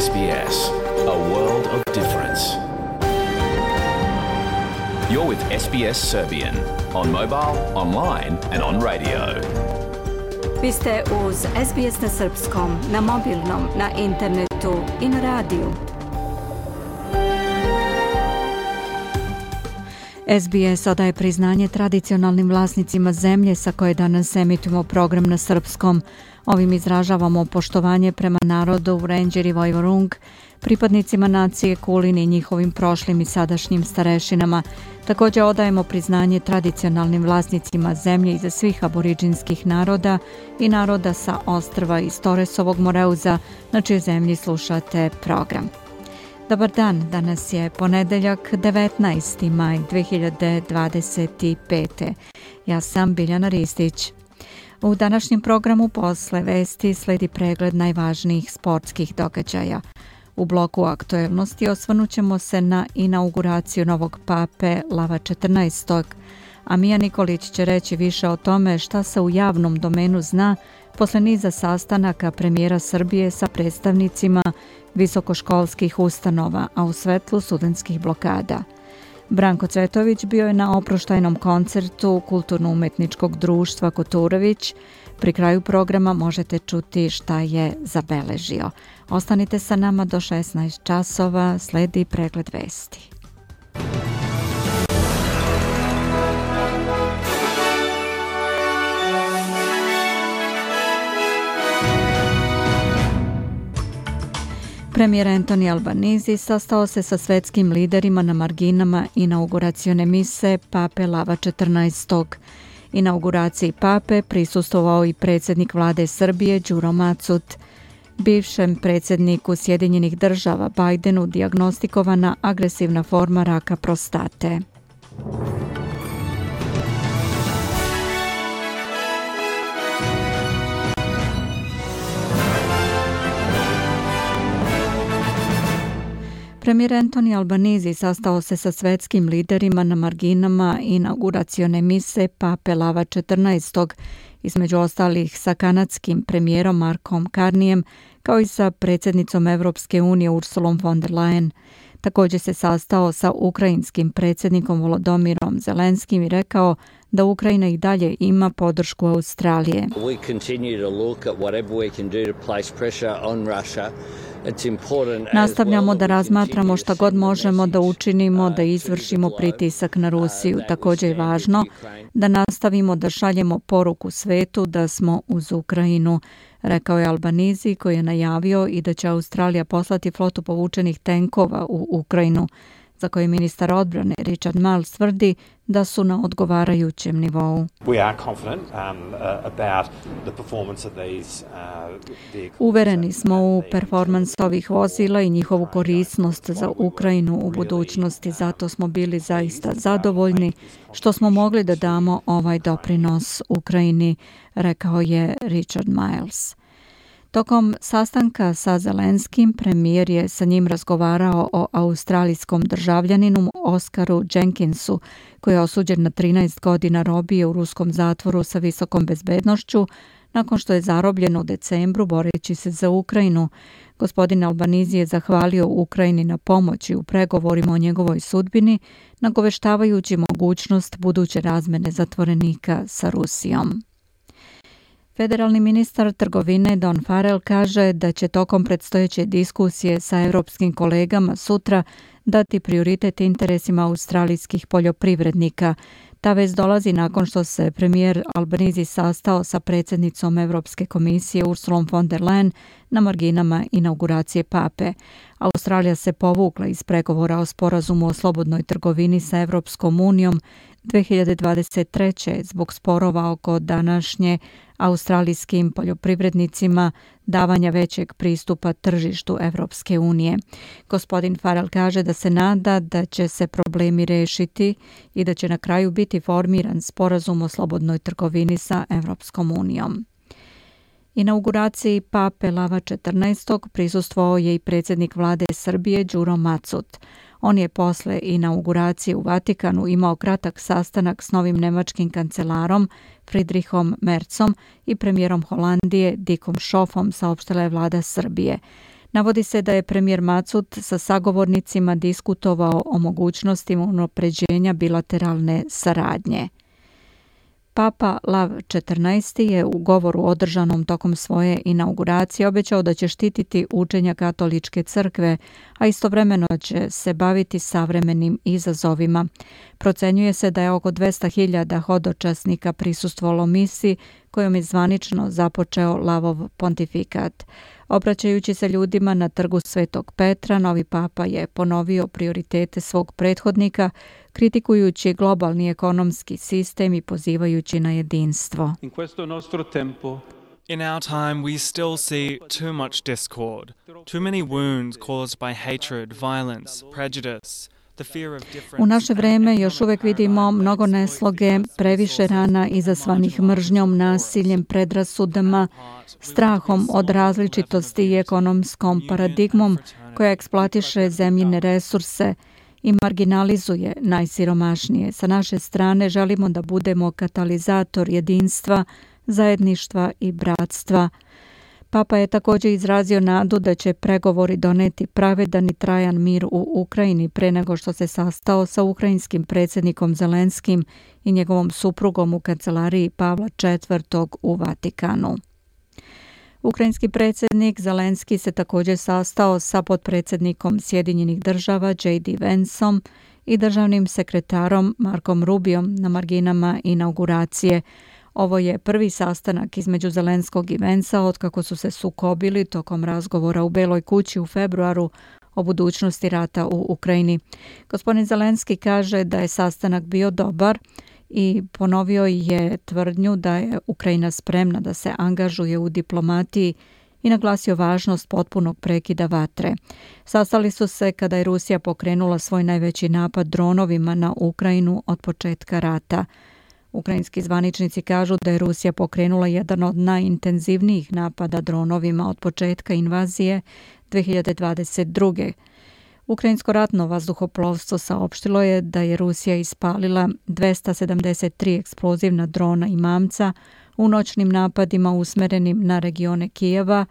SBS, a world of difference. You're with SBS Serbian on mobile, online and on radio. Vi ste uz SBS na srpskom, na mobilnom, na internetu i na radiju. SBS odaje priznanje tradicionalnim vlasnicima zemlje sa koje danas emitujemo program na srpskom. Ovim izražavamo poštovanje prema narodu Wurundjeri i Woiwurrung, pripadnicima nacije Kulin i njihovim prošlim i sadašnjim starešinama. Također odajemo priznanje tradicionalnim vlasnicima zemlje iza svih aboriđinskih naroda i naroda sa ostrva iz Toresovog Moreuza, na čijoj zemlji slušate program. Dobar dan, danas je ponedeljak 19. maj 2025. Ja sam Biljana Ristić. U današnjem programu posle vesti sledi pregled najvažnijih sportskih događaja. U bloku aktuelnosti osvrnut ćemo se na inauguraciju novog pape Lava XIV. A Mija Nikolić će reći više o tome šta se u javnom domenu zna posle niza sastanaka premijera Srbije sa predstavnicima visokoškolskih ustanova, a u svetlu studentskih blokada. Branko Cvetović bio je na oproštajnom koncertu Kulturno-umetničkog društva Koturović. Pri kraju programa možete čuti šta je zabeležio. Ostanite sa nama do 16 časova, sledi pregled vesti. Premijer Anthony Albanese sastao se sa svetskim liderima na marginama inauguracione mise pape Lava XIV. Inauguraciji pape prisustvovao i predsjednik vlade Srbije Đuro Macut. Bivšem predsjedniku Sjedinjenih država Bajdenu dijagnostikovana agresivna forma raka prostate. Premijer Anthony Albanese sastao se sa svetskim liderima na marginama inauguracione mise pape Lava XIV, između ostalih sa kanadskim premijerom Markom Carneyem, kao i sa predsjednicom Evropske unije Ursulom von der Leyen. Također se sastao sa ukrajinskim predsjednikom Volodymyrom Zelenskim i rekao da Ukrajina i dalje ima podršku Australije. Nastavljamo da razmatramo šta god možemo da učinimo da izvršimo pritisak na Rusiju. Također je važno da nastavimo da šaljemo poruku svetu da smo uz Ukrajinu, rekao je Albanese, koji je najavio i da će Australija poslati flotu povučenih tenkova u Ukrajinu, za koje ministar odbrane Richard Marles tvrdi da su na odgovarajućem nivou. Uvereni smo u performans ovih vozila i njihovu korisnost za Ukrajinu u budućnosti, zato smo bili zaista zadovoljni što smo mogli da damo ovaj doprinos Ukrajini, rekao je Richard Marles. Tokom sastanka sa Zelenskim, premijer je sa njim razgovarao o australijskom državljaninu Oskaru Jenkinsu, koji je osuđen na 13 godina robije u ruskom zatvoru sa visokom bezbednošću, nakon što je zarobljen u decembru boreći se za Ukrajinu. Gospodin Albanese je zahvalio Ukrajini na pomoći u pregovorima o njegovoj sudbini, nagoveštavajući mogućnost buduće razmene zatvorenika sa Rusijom. Federalni ministar trgovine Don Farrell kaže da će tokom predstojeće diskusije sa evropskim kolegama sutra dati prioritet interesima australijskih poljoprivrednika. Ta vest dolazi nakon što se premijer Albanese sastao sa predsjednicom Evropske komisije Ursulom von der Leyen na marginama inauguracije pape. Australija se povukla iz pregovora o sporazumu o slobodnoj trgovini sa Evropskom unijom 2023. zbog sporova oko današnje australijskim poljoprivrednicima davanja većeg pristupa tržištu Evropske unije. Gospodin Farrell kaže da se nada da će se problemi rešiti i da će na kraju biti formiran sporazum o slobodnoj trgovini sa Evropskom unijom. Inauguraciji pape Lava XIV prisustvovao je i predsjednik vlade Srbije Đuro Macut. On je posle inauguracije u Vatikanu imao kratak sastanak s novim nemačkim kancelarom Friedrichom Merzom i premijerom Holandije Dickom Schoffom, saopštila je vlada Srbije. Navodi se da je premijer Macut sa sagovornicima diskutovao o mogućnostima unapređenja bilateralne saradnje. Papa Lav XIV je u govoru održanom tokom svoje inauguracije obećao da će štititi učenja katoličke crkve, a istovremeno će se baviti savremenim izazovima. Procenjuje se da je oko 200.000 hodočasnika prisustvovalo misi kojom je zvanično započeo Lavov pontifikat. Obraćajući se ljudima na trgu Svetog Petra, novi papa je ponovio prioritete svog prethodnika, kritikujući globalni ekonomski sistem i pozivajući na jedinstvo. In our time, we still see too much discord, too many wounds caused by hatred, violence, prejudice. U naše vreme još uvijek vidimo mnogo nesloge, previše rana izazvanih mržnjom, nasiljem, predrasudama, strahom od različitosti i ekonomskom paradigmom koja eksploatiše zemljine resurse i marginalizuje najsiromašnije. Sa naše strane želimo da budemo katalizator jedinstva, zajedništva i bratstva. Papa je također izrazio nadu da će pregovori doneti pravedan i trajan mir u Ukrajini pre nego što se sastao sa ukrajinskim predsjednikom Zelenskim i njegovom suprugom u kancelariji Pavla IV. U Vatikanu. Ukrajinski predsjednik Zelenski se također sastao sa potpredsjednikom Sjedinjenih država J.D. Vanceom i državnim sekretarom Markom Rubiom na marginama inauguracije. Ovo je prvi sastanak između Zelenskog i Vancea otkako su se sukobili tokom razgovora u Beloj kući u februaru o budućnosti rata u Ukrajini. Gospodin Zelenski kaže da je sastanak bio dobar i ponovio je tvrdnju da je Ukrajina spremna da se angažuje u diplomatiji i naglasio važnost potpunog prekida vatre. Sastali su se kada je Rusija pokrenula svoj najveći napad dronovima na Ukrajinu od početka rata. Ukrajinski zvaničnici kažu da je Rusija pokrenula jedan od najintenzivnijih napada dronovima od početka invazije 2022. Ukrajinsko ratno vazduhoplovstvo saopštilo je da je Rusija ispalila 273 eksplozivna drona i mamca u noćnim napadima usmerenim na regione Kijeva,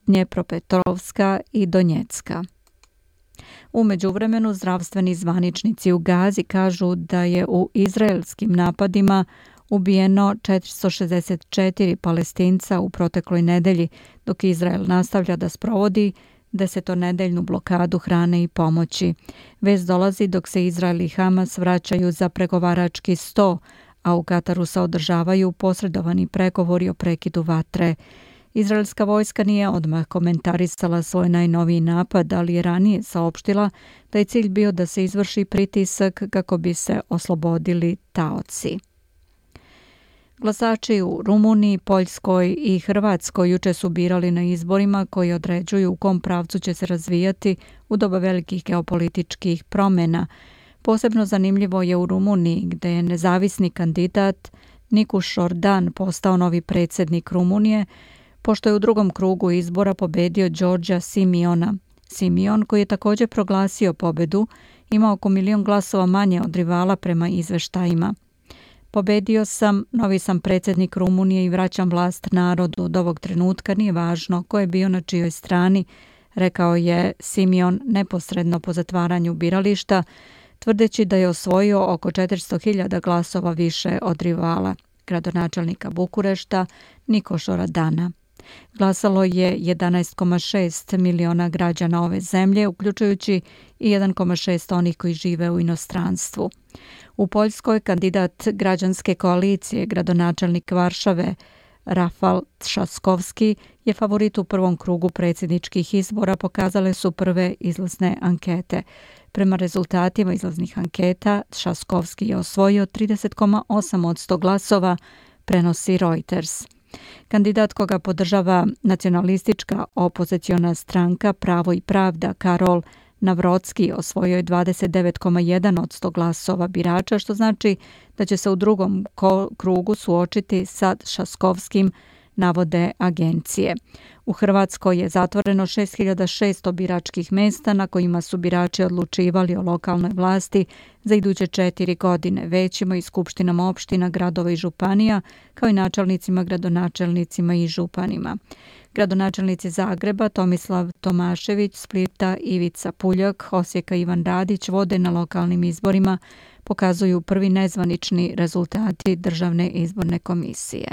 Dnjepropetrovska i Donjecka. U međuvremenu zdravstveni zvaničnici u Gazi kažu da je u izraelskim napadima ubijeno 464 Palestinca u protekloj nedelji, dok Izrael nastavlja da sprovodi desetonedeljnu blokadu hrane i pomoći. Vest dolazi dok se Izrael i Hamas vraćaju za pregovarački sto, a u Kataru se održavaju posredovani pregovori o prekidu vatre. Izraelska vojska nije odmah komentarisala svoj najnoviji napad, ali je ranije saopštila da je cilj bio da se izvrši pritisak kako bi se oslobodili taoci. Glasači u Rumuniji, Poljskoj i Hrvatskoj juče su birali na izborima koji određuju u kom pravcu će se razvijati u doba velikih geopolitičkih promjena. Posebno zanimljivo je u Rumuniji, gde je nezavisni kandidat Nikuš Ordan postao novi predsjednik Rumunije, pošto je u drugom krugu izbora pobedio Đorđa Simiona. Simion, koji je također proglasio pobedu, ima oko 1.000.000 glasova manje od rivala prema izveštajima. Pobedio sam, novi sam predsjednik Rumunije i vraćam vlast narodu. Od ovog trenutka nije važno ko je bio na čijoj strani, rekao je Simion neposredno po zatvaranju birališta, tvrdeći da je osvojio oko 400.000 glasova više od rivala, gradonačelnika Bukurešta Nikoš Oradana. Glasalo je 11,6 miliona građana ove zemlje, uključujući i 1,6 onih koji žive u inostranstvu. U Poljskoj kandidat građanske koalicije, gradonačelnik Varšave Rafal Trzaskowski, je favorit u prvom krugu predsjedničkih izbora, pokazale su prve izlazne ankete. Prema rezultatima izlaznih anketa, Trzaskowski je osvojio 30,8% glasova, prenosi Reuters. Kandidat koga podržava nacionalistička opoziciona stranka Pravo i pravda Karol Navrocki osvojio je 29,1% glasova birača, što znači da će se u drugom krugu suočiti sa Trzaskowskim navode agencije. U Hrvatskoj je zatvoreno 6600 biračkih mjesta na kojima su birači odlučivali o lokalnoj vlasti za iduće 4 godine, većima i skupštinama opština, gradova i županija, kao i načelnicima, gradonačelnicima i županima. Gradonačelnici Zagreba Tomislav Tomašević, Splita Ivica Puljak, Osijeka Ivan Radić vode na lokalnim izborima, pokazuju prvi nezvanični rezultati Državne izborne komisije.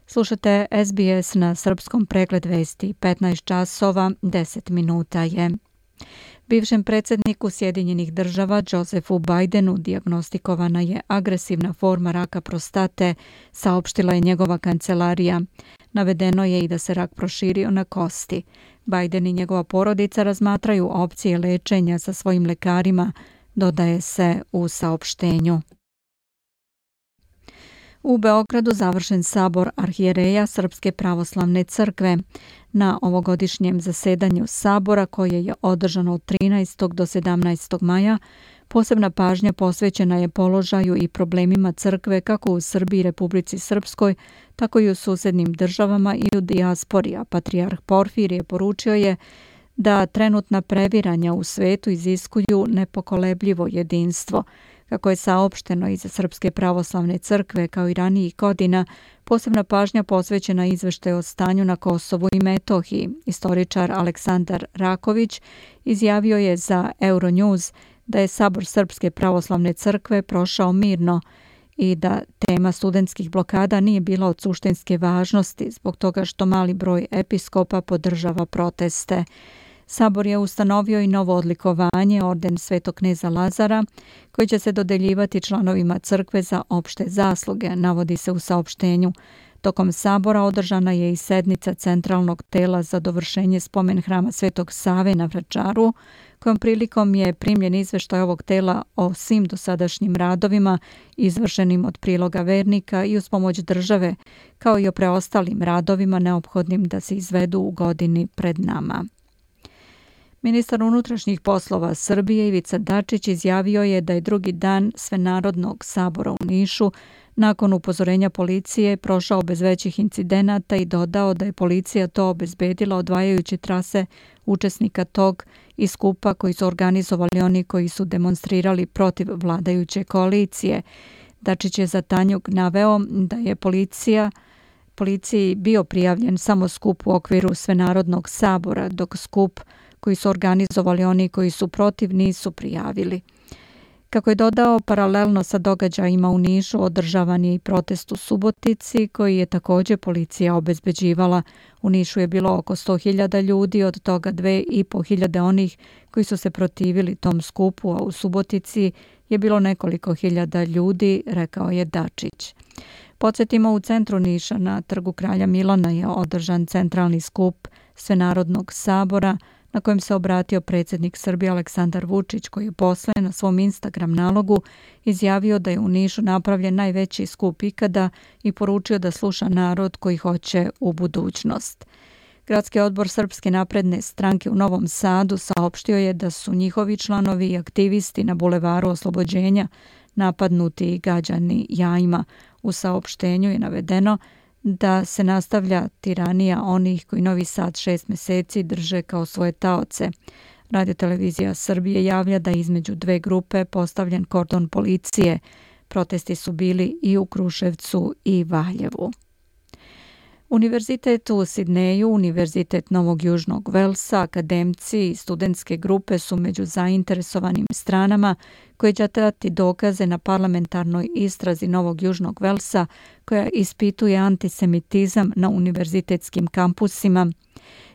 Slušate SBS na srpskom, pregled vesti, 15 časova, 10 minuta je. Bivšem predsjedniku Sjedinjenih država Josephu Bidenu dijagnostikovana je agresivna forma raka prostate, saopštila je njegova kancelarija. Navedeno je i da se rak proširio na kosti. Biden i njegova porodica razmatraju opcije lečenja sa svojim lekarima, dodaje se u saopštenju. U Beogradu završen sabor arhijereja Srpske pravoslavne crkve. Na ovogodišnjem zasedanju sabora, koje je održano od 13. do 17. maja, posebna pažnja posvećena je položaju i problemima crkve kako u Srbiji i Republici Srpskoj, tako i u susednim državama i u dijaspori, a patrijarh Porfirije poručio je da trenutna previranja u svetu iziskuju nepokolebljivo jedinstvo. Kako je saopšteno iz Srpske pravoslavne crkve, kao i ranijih godina, posebna pažnja posvećena izveštaju o stanju na Kosovu i Metohiji. Istoričar Aleksandar Raković izjavio je za Euronews da je sabor Srpske pravoslavne crkve prošao mirno i da tema studentskih blokada nije bila od suštinske važnosti zbog toga što mali broj episkopa podržava proteste. Sabor je ustanovio i novo odlikovanje, orden Svetog kneza Lazara, koji će se dodeljivati članovima crkve za opšte zasluge, navodi se u saopštenju. Tokom sabora održana je i sednica centralnog tela za dovršenje spomen hrama Svetog Save na Vračaru, kojom prilikom je primljen izveštaj ovog tela o svim dosadašnjim radovima izvršenim od priloga vernika i uz pomoć države, kao i o preostalim radovima neophodnim da se izvedu u godini pred nama. Ministar unutrašnjih poslova Srbije Ivica Dačić izjavio je da je drugi dan Svenarodnog sabora u Nišu nakon upozorenja policije prošao bez većih incidenata i dodao da je policija to obezbedila odvajajući trase učesnika tog i skupa koji su organizovali oni koji su demonstrirali protiv vladajuće koalicije. Dačić je za Tanjug naveo da je policiji bio prijavljen samo skup u okviru Svenarodnog sabora, dok skup koji su organizovali oni koji su protiv nisu prijavili. Kako je dodao, paralelno sa događajima u Nišu održavan je i protest u Subotici koji je također policija obezbeđivala. U Nišu je bilo oko 100.000 ljudi, od toga 2.500 onih koji su se protivili tom skupu, a u Subotici je bilo nekoliko hiljada ljudi, rekao je Dačić. Podsjetimo, u centru Niša na Trgu Kralja Milana je održan centralni skup Svenarodnog sabora na kojem se obratio predsjednik Srbije Aleksandar Vučić, koji je posle na svom Instagram nalogu izjavio da je u Nišu napravljen najveći skup ikada i poručio da sluša narod koji hoće u budućnost. Gradski odbor Srpske napredne stranke u Novom Sadu saopštio je da su njihovi članovi i aktivisti na Bulevaru Oslobođenja napadnuti i gađani jajima. U saopštenju je navedeno da se nastavlja tiranija onih koji Novi Sad 6 mjeseci drže kao svoje taoce. Radiotelevizija Srbije javlja da je između dve grupe postavljen kordon policije. Protesti su bili i u Kruševcu i Valjevu. Univerzitet u Sidneju, Univerzitet Novog Južnog Velsa, akademci i studentske grupe su među zainteresovanim stranama koje će dati dokaze na parlamentarnoj istrazi Novog Južnog Velsa koja ispituje antisemitizam na univerzitetskim kampusima.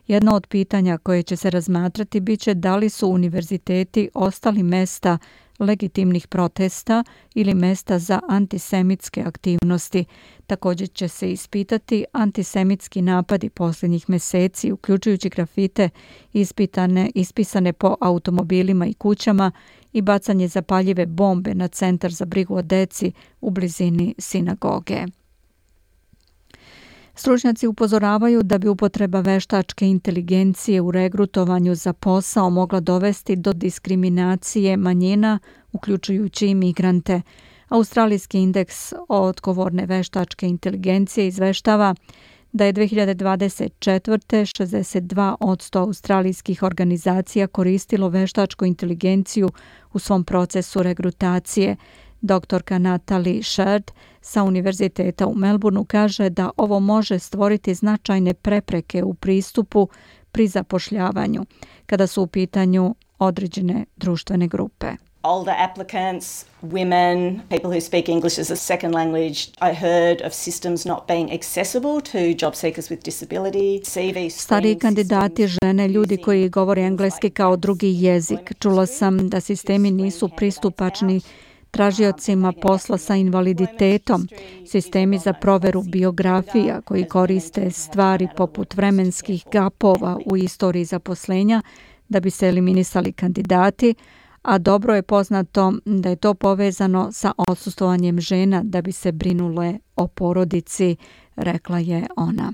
Jedno od pitanja koje će se razmatrati biće da li su univerziteti ostali mesta legitimnih protesta ili mesta za antisemitske aktivnosti. Također će se antisemitski napadi posljednjih mjeseci, uključujući grafite ispisane po automobilima i kućama i bacanje zapaljive bombe na centar za brigu o deci u blizini sinagoge. Stručnjaci upozoravaju da bi upotreba veštačke inteligencije u regrutovanju za posao mogla dovesti do diskriminacije manjina, uključujući i migrante. Australijski indeks odgovorne veštačke inteligencije izveštava da je 2024. 62% australijskih organizacija koristilo veštačku inteligenciju u svom procesu regrutacije. Doktorka Natalie Sherd sa Univerziteta u Melbourneu kaže da ovo može stvoriti značajne prepreke u pristupu pri zapošljavanju kada su u pitanju određene društvene grupe. Older applicants, women, people who speak English as a second language. I heard of systems not being accessible to job seekers with disability. Stariji kandidati, žene, ljudi koji govore engleski kao drugi jezik. Čula sam da sistemi nisu pristupačni tražiocima posla sa invaliditetom, sistemi za proveru biografija koji koriste stvari poput vremenskih gapova u istoriji zaposlenja da bi se eliminisali kandidati, a dobro je poznato da je to povezano sa odsustovanjem žena da bi se brinule o porodici, rekla je ona.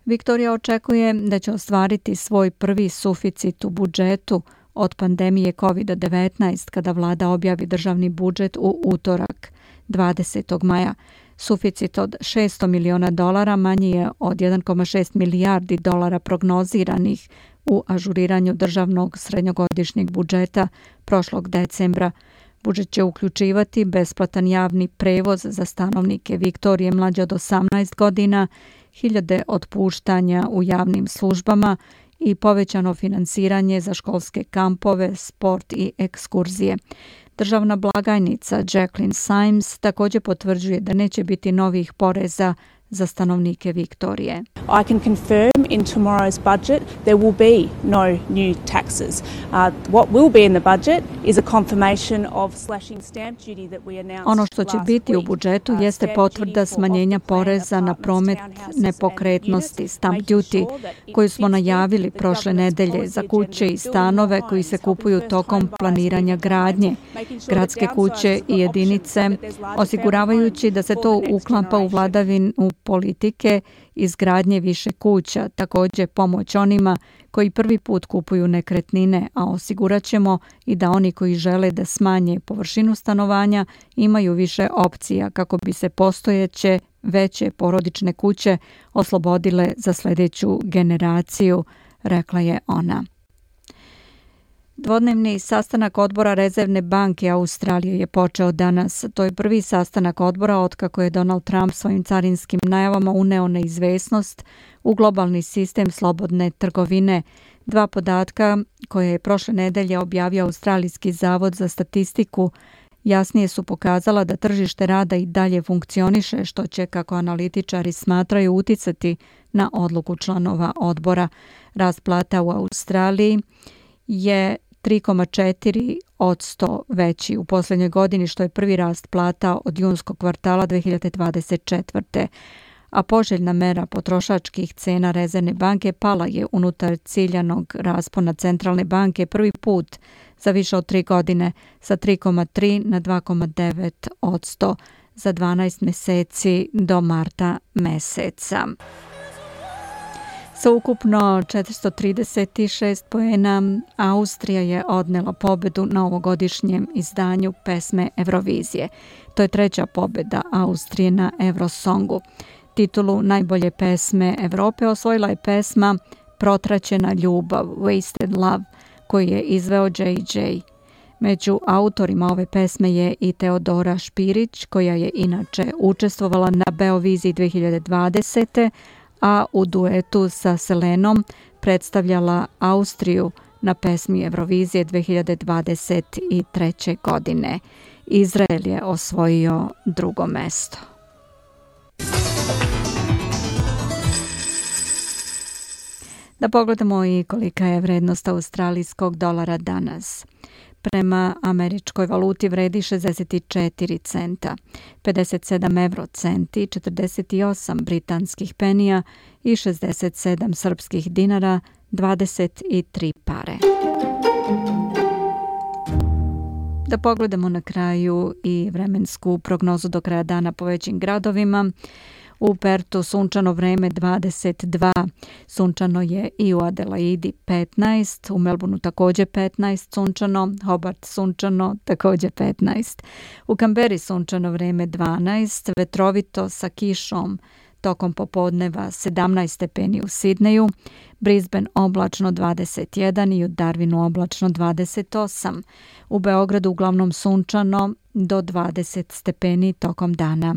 Viktorija očekuje da će ostvariti svoj prvi suficit u budžetu od pandemije COVID-19 kada vlada objavi državni budžet u utorak 20. maja. Suficit od $600 miliona manji je od 1,6 milijardi dolara prognoziranih u ažuriranju državnog srednjogodišnjeg budžeta prošlog decembra. Budžet će uključivati besplatan javni prevoz za stanovnike Viktorije mlađe od 18 godina, 1000 otpuštanja u javnim službama i povećano finansiranje za školske kampove, sport i ekskurzije. Državna blagajnica Jacqueline Symes također potvrđuje da neće biti novih poreza za stanovnike Viktorije. I can confirm in tomorrow's budget there will be no new taxes. What will be in the budget is a confirmation of slashing stamp duty that we announced. Ono što će biti u budžetu jeste potvrda smanjenja poreza na promet nepokretnosti, stamp duty, koju smo najavili prošle nedelje za kuće i stanove koji se kupuju tokom planiranja gradnje, gradske kuće i jedinice, osiguravajući da se to uklapa u vladavinu politike izgradnje više kuća, također pomoć onima koji prvi put kupuju nekretnine, a osigurat ćemo i da oni koji žele da smanje površinu stanovanja imaju više opcija kako bi se postojeće veće porodične kuće oslobodile za sljedeću generaciju, rekla je ona. Dvodnevni sastanak odbora Rezervne banke Australije je počeo danas. To je prvi sastanak odbora otkako je Donald Trump svojim carinskim najavama uneo neizvesnost u globalni sistem slobodne trgovine. Dva podatka koje je prošle nedelje objavio Australijski zavod za statistiku jasnije su pokazala da tržište rada i dalje funkcioniše, što će, kako analitičari smatraju, uticati na odluku članova odbora. Rast plata u Australiji je 3,4% veći u posljednjoj godini, što je prvi rast plata od junskog kvartala 2024. A poželjna mera potrošačkih cena Rezervne banke pala je unutar ciljanog raspona centralne banke prvi put za više od 3 godine sa 3,3 na 2,9% za 12 mjeseci do marta meseca. Sa ukupno 436 poena Austrija je odnela pobedu na ovogodišnjem izdanju pesme Eurovizije. To je treća pobjeda Austrije na Eurosongu. Titulu najbolje pesme Europe osvojila je pesma Protraćena ljubav, Wasted Love, koju je izveo JJ. Među autorima ove pesme je i Teodora Špirić, koja je inače učestvovala na Beoviziji 2020. a u duetu sa Selenom predstavljala Austriju na pesmi Eurovizije 2023. godine. Izrael je osvojio drugo mesto. Da pogledamo i kolika je vrednost australijskog dolara danas. Prema američkoj valuti vredi 64 centa, 57 eurocenti, 48 britanskih penija i 67 srpskih dinara, 23 pare. Da pogledamo na kraju i vremensku prognozu do kraja dana po većim gradovima. U Pertu sunčano vreme 22, sunčano je i u Adelaidi 15, u Melbourneu također 15 sunčano, Hobart sunčano također 15. U Kamberi sunčano vreme 12, vetrovito sa kišom tokom popodneva 17 stepeni u Sidneju, Brisbane oblačno 21 i u Darwinu oblačno 28. U Beogradu uglavnom sunčano do 20 stepeni tokom dana.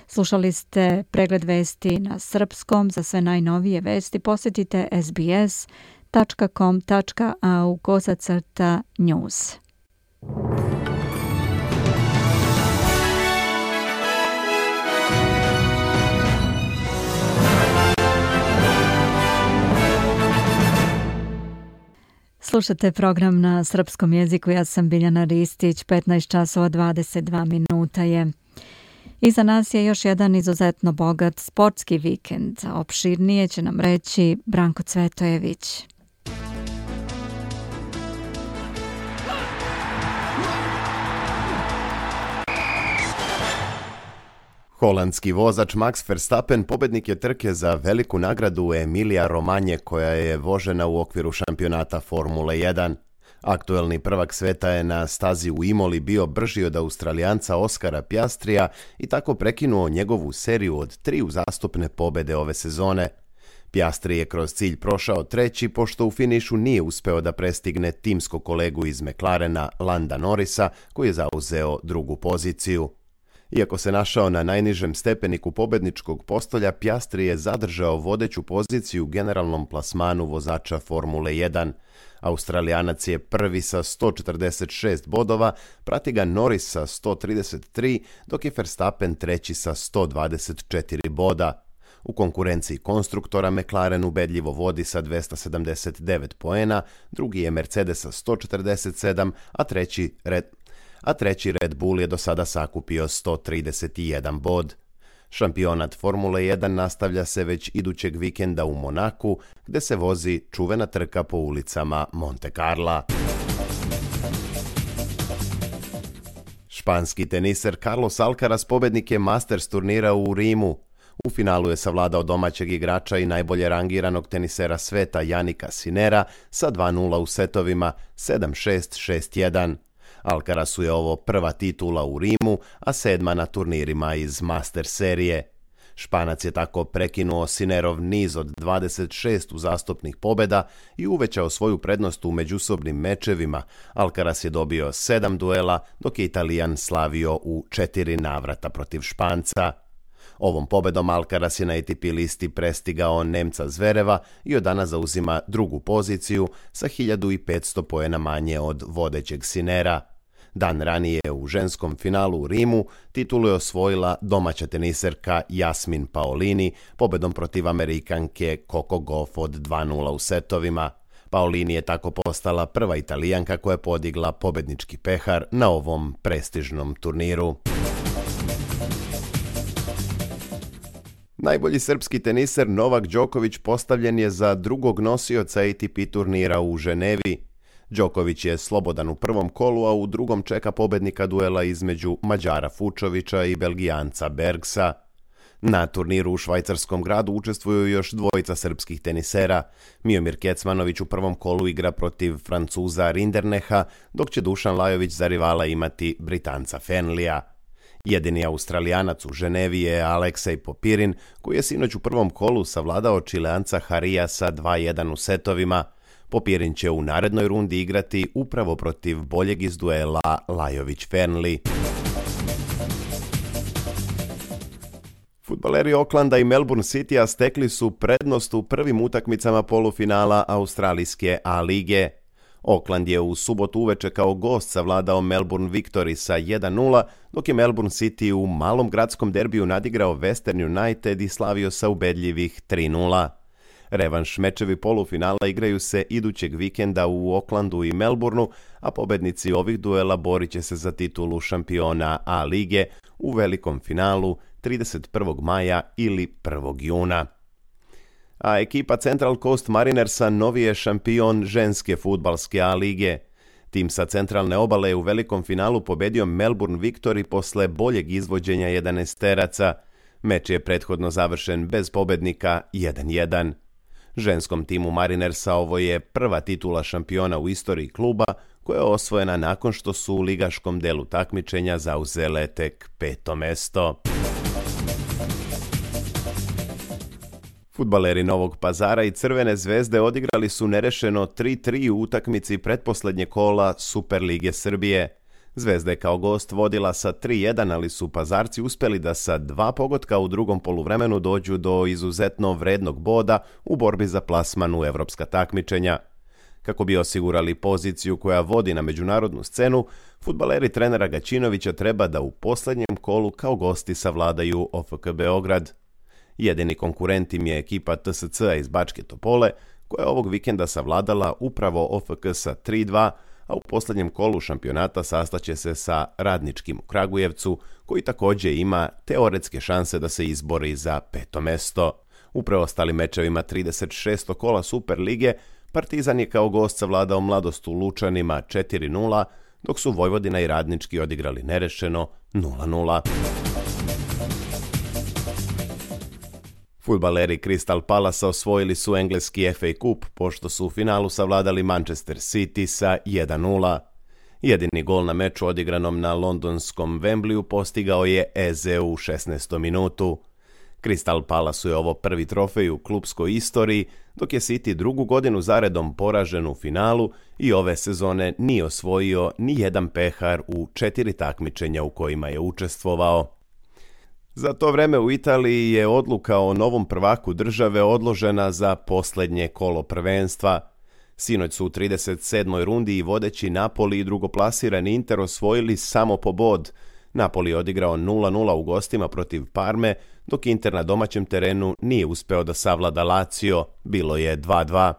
Slušali ste pregled vesti na srpskom. Za sve najnovije vesti posjetite sbs.com.au/news. Slušate program na srpskom jeziku, ja sam Biljana Ristić, 15 časova 22 minuta je. Iza nas je još jedan izuzetno bogat sportski vikend. Opširnije će nam reći Branko Cvetojević. Holandski vozač Max Verstappen pobednik je trke za veliku nagradu Emilija Romanje koja je vožena u okviru šampionata Formule 1. Aktuelni prvak sveta je na stazi u Imoli bio brži od Australijanca Oskara Piastrija i tako prekinuo njegovu seriju od 3 uzastopne pobede ove sezone. Piastri je kroz cilj prošao treći, pošto u finišu nije uspeo da prestigne timskog kolegu iz McLarena Landa Norrisa, koji je zauzeo drugu poziciju. Iako se našao na najnižem stepeniku pobedničkog postolja, Piastri je zadržao vodeću poziciju u generalnom plasmanu vozača Formule 1. Australijanac je prvi sa 146 bodova, prati ga Norris sa 133, dok je Verstappen treći sa 124 boda. U konkurenciji konstruktora McLaren ubedljivo vodi sa 279 poena, drugi je Mercedes sa 147, a treći Red Bull je do sada sakupio 131 bod. Šampionat Formule 1 nastavlja se već idućeg vikenda u Monaku, gde se vozi čuvena trka po ulicama Monte Carla. Španski teniser Carlos Alcaraz pobednik je Masters turnira u Rimu. U finalu je savladao domaćeg igrača i najbolje rangiranog tenisera sveta Jannika Sinnera sa 2:0 u setovima 7-6, 6-1. Alcarazu je ovo prva titula u Rimu, a 7. na turnirima iz Master serije. Španac je tako prekinuo Sinnerov niz od 26 uzastopnih pobjeda i uvećao svoju prednost u međusobnim mečevima. Alcaraz je dobio 7 duela, dok je Italijan slavio u 4 navrata protiv Španca. Ovom pobedom Alcaraz je na ATP listi prestigao Nemca Zvereva i od dana zauzima drugu poziciju sa 1500 poena manje od vodećeg Sinnera. Dan ranije u ženskom finalu u Rimu titulu je osvojila domaća teniserka Jasmin Paolini pobedom protiv Amerikanke Coco Gauff od 2:0 u setovima. Paolini je tako postala prva Italijanka koja je podigla pobednički pehar na ovom prestižnom turniru. Najbolji srpski teniser Novak Đoković postavljen je za drugog nosioca ATP turnira u Ženevi. Đoković je slobodan u prvom kolu, a u drugom čeka pobednika duela između Mađara Fučovića i Belgijanca Bergsa. Na turniru u švajcarskom gradu učestvuju još dvojica srpskih tenisera. Miomir Kecmanović u prvom kolu igra protiv Francuza Rinderneha, dok će Dušan Lajović za rivala imati Britanca Fenlija. Jedini Australijanac u Ženevi je Aleksej Popirin, koji je sinoć u prvom kolu savladao Čileanca Harija sa 2:1 u setovima. Popirin će u narednoj rundi igrati upravo protiv boljeg iz duela Lajović-Fernli. Fudbaleri Aucklanda i Melbourne Citya stekli su prednost u prvim utakmicama polufinala australijske A lige. Auckland je u subotu uveče kao gost savladao Melbourne Victory sa 1:0, dok je Melbourne City u malom gradskom derbiju nadigrao Western United i slavio sa ubedljivih 3:0. Revanš mečevi polufinala igraju se idućeg vikenda u Aucklandu i Melbourneu, a pobednici ovih duela borit će se za titulu šampiona A lige u velikom finalu 31. maja ili 1. juna. A ekipa Central Coast Marinersa novi je šampion ženske fudbalske A lige. Tim sa centralne obale je u velikom finalu pobedio Melbourne Victory posle boljeg izvođenja 11-teraca. Meč je prethodno završen bez pobednika 1-1. Ženskom timu Marinersa ovo je prva titula šampiona u istoriji kluba koja je osvojena nakon što su u ligaškom delu takmičenja zauzele tek 5. mesto. Fudbaleri Novog Pazara i Crvene zvezde odigrali su nerešeno 3-3 u utakmici pretposlednje kola Superlige Srbije. Zvezda je kao gost vodila sa 3-1, ali su Pazarci uspeli da sa 2 pogotka u drugom poluvremenu dođu do izuzetno vrednog boda u borbi za plasman u evropska takmičenja. Kako bi osigurali poziciju koja vodi na međunarodnu scenu, fudbaleri trenera Gaćinovića treba da u posljednjem kolu kao gosti savladaju OFK Beograd. Jedini konkurent im je ekipa TSC-a iz Bačke Topole, koja je ovog vikenda savladala upravo OFK sa 3-2, a u posljednjem kolu šampionata sastaće se sa Radničkim u Kragujevcu, koji također ima teoretske šanse da se izbori za 5. mesto. U preostalim mečevima 36. kola Superlige, Partizan je kao gost savladao Mladost u Lučanima 4-0, dok su Vojvodina i Radnički odigrali nerešeno 0-0. Fudbaleri Crystal Palasa osvojili su engleski FA Cup, pošto su u finalu savladali Manchester City sa 1-0. Jedini gol na meču odigranom na londonskom Wembleyu postigao je Eze u 16. minutu. Crystal Palasu je ovo prvi trofej u klupskoj istoriji, dok je City drugu godinu zaredom poražen u finalu i ove sezone nije osvojio ni jedan pehar u 4 takmičenja u kojima je učestvovao. Za to vreme u Italiji je odluka o novom prvaku države odložena za posljednje kolo prvenstva. Sinoć su u 37. rundi i vodeći Napoli i drugoplasirani Inter osvojili samo po bod. Napoli je odigrao 0-0 u gostima protiv Parme, dok Inter na domaćem terenu nije uspeo da savlada Lazio, bilo je 2-2.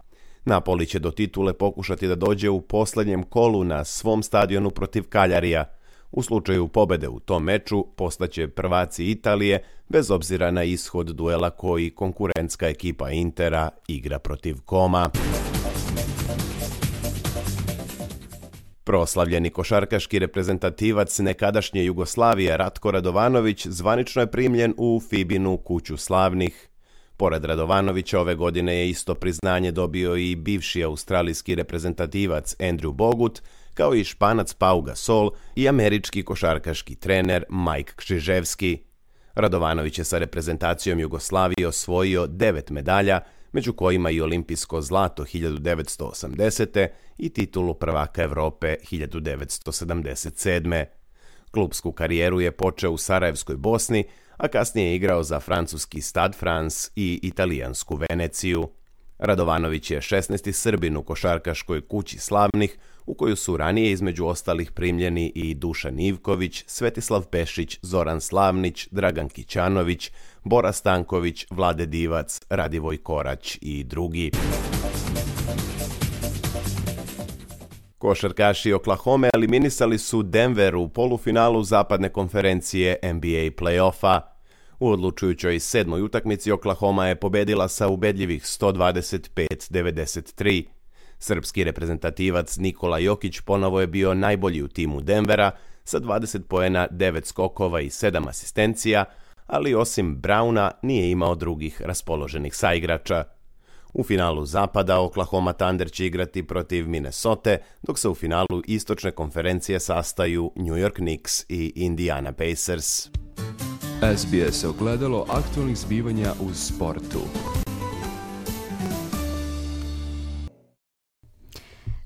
Napoli će do titule pokušati da dođe u posljednjem kolu na svom stadionu protiv Kaljarija. U slučaju pobede u tom meču postaće prvaci Italije, bez obzira na ishod duela koji konkurentska ekipa Intera igra protiv Koma. Proslavljeni košarkaški reprezentativac nekadašnje Jugoslavije Ratko Radovanović zvanično je primljen u FIBA-inu kuću slavnih. Pored Radovanovića ove godine je isto priznanje dobio i bivši australijski reprezentativac Andrew Bogut, kao i Španac Pau Gasol i američki košarkaški trener Mike Krzyzewski. Radovanović je sa reprezentacijom Jugoslavije osvojio 9 medalja, među kojima i olimpijsko zlato 1980. i titulu prvaka Evrope 1977. Klupsku karijeru je počeo u Sarajevskoj Bosni, a kasnije je igrao za francuski Stade France i italijansku Veneciju. Radovanović je 16. Srbin u košarkaškoj kući slavnih, u koju su ranije između ostalih primljeni i Dušan Ivković, Svetislav Pešić, Zoran Slavnić, Dragan Kićanović, Bora Stanković, Vlade Divac, Radivoj Korać i drugi. Košarkaši Oklahome eliminisali su Denver u polufinalu zapadne konferencije NBA play-offa. U odlučujućoj 7. utakmici Oklahoma je pobedila sa ubedljivih 125-93. Srpski reprezentativac Nikola Jokić ponovo je bio najbolji u timu Denvera sa 20 poena, 9 skokova i 7 asistencija, ali osim Browna nije imao drugih raspoloženih saigrača. U finalu zapada Oklahoma Thunder će igrati protiv Minnesota, dok se u finalu istočne konferencije sastaju New York Knicks i Indiana Pacers. SBS ogledalo aktualnih zbivanja u sportu.